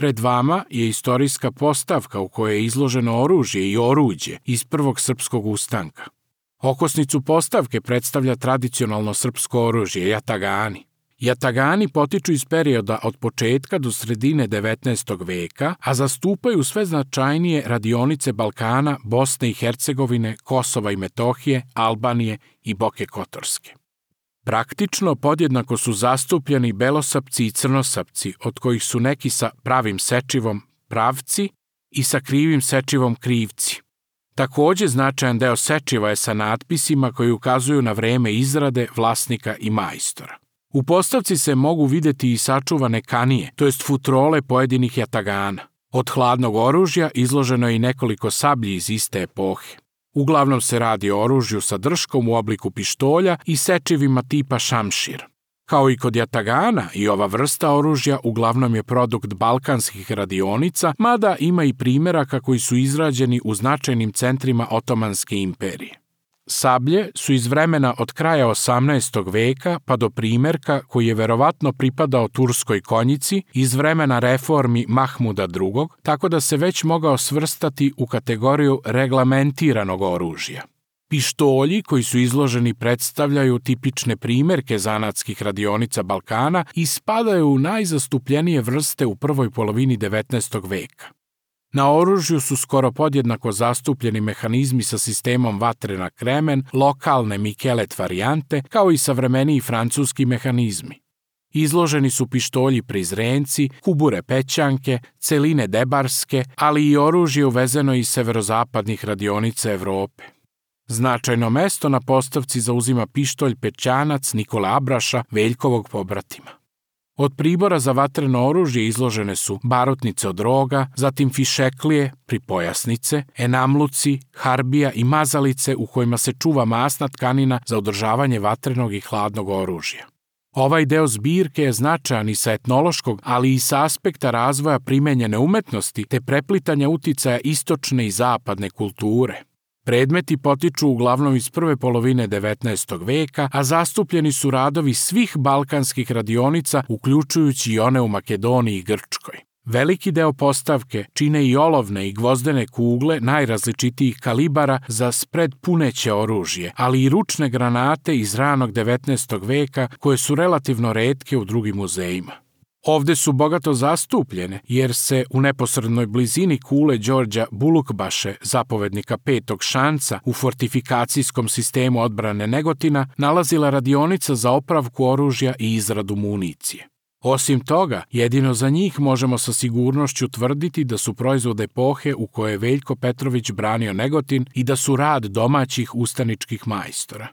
Pred vama je istorijska postavka u kojoj je izloženo oružje i oruđe iz prvog srpskog ustanka. Okosnicu postavke predstavlja tradicionalno srpsko oružje jatagani. Jatagani potiču iz perioda od početka do sredine 19. veka, a zastupaju sve značajnije radionice Balkana, Bosne i Hercegovine, Kosova i Metohije, Albanije i Boke Kotorske. Praktično podjednako su zastupljeni belosapci i crnosapci, od kojih su neki sa pravim sečivom pravci i sa krivim sečivom krivci. Takođe, značajan deo sečiva je sa natpisima koji ukazuju na vreme izrade, vlasnika i majstora. U postavci se mogu videti i sačuvane kanije, to jest futrole pojedinih jatagana. Od hladnog oružja izloženo je i nekoliko sablji iz iste epohe. Uglavnom se radi o oružju sa drškom u obliku pištolja i sečivima tipa šamšir. Kao i kod jatagana, i ova vrsta oružja uglavnom je produkt balkanskih radionica, mada ima i primeraka koji su izrađeni u značajnim centrima Otomanske imperije. Sablje su iz vremena od kraja 18. veka pa do primerka koji je verovatno pripadao turskoj konjici iz vremena reformi Mahmuda II, tako da se već mogao svrstati u kategoriju reglamentiranog oružja. Pištolji koji su izloženi predstavljaju tipične primerke zanatskih radionica Balkana i spadaju u najzastupljenije vrste u prvoj polovini 19. veka. Na oružju su skoro podjednako zastupljeni mehanizmi sa sistemom vatre na kremen, lokalne Mikelet varijante, kao i savremeniji francuski mehanizmi. Izloženi su pištolji prizrenci, kubure pećanke, celine debarske, ali i oružje uvezeno iz severozapadnih radionica Evrope. Značajno mesto na postavci zauzima pištolj pećanac Nikole Abraša, Veljkovog pobratima. Od pribora za vatreno oružje izložene su barutnice od roga, zatim fišeklije, pripojasnice, enamluci, harbija i mazalice u kojima se čuva masna tkanina za održavanje vatrenog i hladnog oružja. Ovaj deo zbirke je značajan i sa etnološkog, ali i sa aspekta razvoja primenjene umetnosti te preplitanja uticaja istočne i zapadne kulture. Predmeti potiču uglavnom iz prve polovine 19. veka, a zastupljeni su radovi svih balkanskih radionica, uključujući i one u Makedoniji i Grčkoj. Veliki deo postavke čine i olovne i gvozdene kugle najrazličitijih kalibara za spred puneće oružje, ali i ručne granate iz ranog 19. veka koje su relativno retke u drugim muzejima. Ovde su bogato zastupljene, jer se u neposrednoj blizini kule Đorđa Bulukbaše, zapovednika Petog šanca u fortifikacijskom sistemu odbrane Negotina, nalazila radionica za opravku oružja i izradu municije. Osim toga, jedino za njih možemo sa sigurnošću tvrditi da su proizvod epohe u kojoj je Veljko Petrović branio Negotin i da su rad domaćih ustaničkih majstora.